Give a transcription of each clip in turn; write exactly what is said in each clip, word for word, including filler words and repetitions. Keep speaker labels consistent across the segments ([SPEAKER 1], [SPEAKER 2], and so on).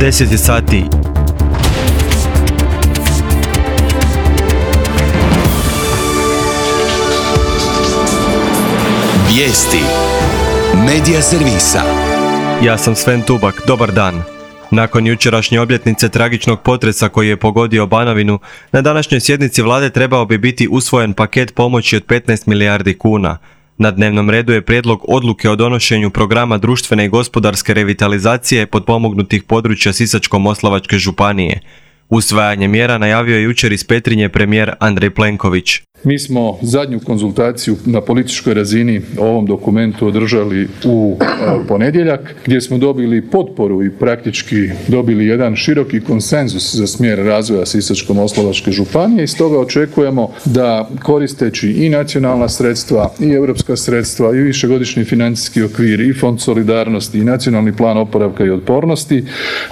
[SPEAKER 1] deset je sati.
[SPEAKER 2] Vijesti Medija servisa.
[SPEAKER 1] Ja sam Sven Tubak, dobar dan. Nakon jučerašnje obljetnice tragičnog potresa koji je pogodio Banovinu, na današnjoj sjednici vlade trebao bi biti usvojen paket pomoći od petnaest milijardi kuna. Na dnevnom redu je prijedlog odluke o donošenju programa društvene i gospodarske revitalizacije potpomognutih područja Sisačko-moslavačke županije. Usvajanje mjera najavio je jučer iz Petrinje premijer Andrej Plenković.
[SPEAKER 3] Mi smo zadnju konzultaciju na političkoj razini o ovom dokumentu održali u ponedjeljak, gdje smo dobili potporu i praktički dobili jedan široki konsenzus za smjer razvoja Sisačko-moslavačke županije i stoga očekujemo da koristeći i nacionalna sredstva i europska sredstva i višegodišnji financijski okvir i fond solidarnosti i nacionalni plan oporavka i otpornosti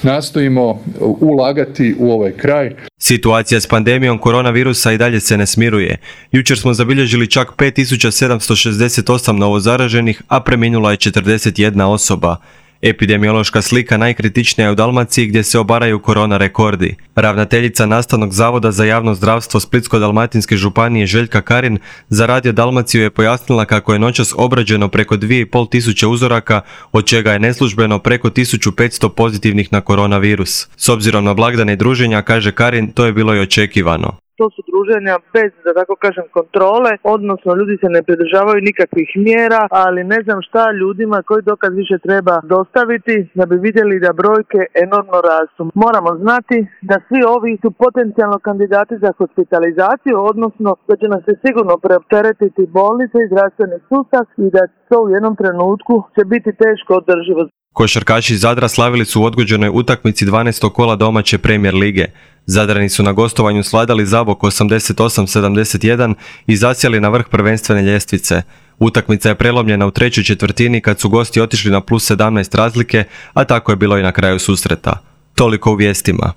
[SPEAKER 3] nastojimo ulagati u ovaj kraj.
[SPEAKER 1] Situacija s pandemijom koronavirusa i dalje se ne smiruje. Jučer smo zabilježili čak pet tisuća sedamsto šezdeset osam novozaraženih, a preminula je četrdeset jedna osoba. Epidemiološka slika najkritičnija je u Dalmaciji gdje se obaraju korona rekordi. Ravnateljica Nastavnog zavoda za javno zdravstvo Splitsko-dalmatinske županije Željka Karin za Radio Dalmaciju je pojasnila kako je noćas obrađeno preko dvije i pol tisuće uzoraka, od čega je neslužbeno preko tisuću petsto pozitivnih na koronavirus. S obzirom na blagdane i druženja, kaže Karin, to je bilo i očekivano.
[SPEAKER 4] To su druženja bez, da tako kažem, kontrole, odnosno ljudi se ne pridržavaju nikakvih mjera, ali ne znam šta ljudima koji dokaz više treba dostaviti da bi vidjeli da brojke enormno rastu. Moramo znati da svi ovi su potencijalno kandidati za hospitalizaciju, odnosno da će nas se sigurno preopteretiti bolnice i zdravstveni sustav i da to u jednom trenutku će biti teško održivo.
[SPEAKER 1] Košarkaši Zadra slavili su u odgođenoj utakmici dvanaestog kola domaće Premier lige. Zadrani su na gostovanju svladali Zabok osamdeset osam sedamdeset jedan i zasjeli na vrh prvenstvene ljestvice. Utakmica je prelomljena u trećoj četvrtini kad su gosti otišli na plus sedamnaest razlike, a tako je bilo i na kraju susreta. Toliko u vijestima.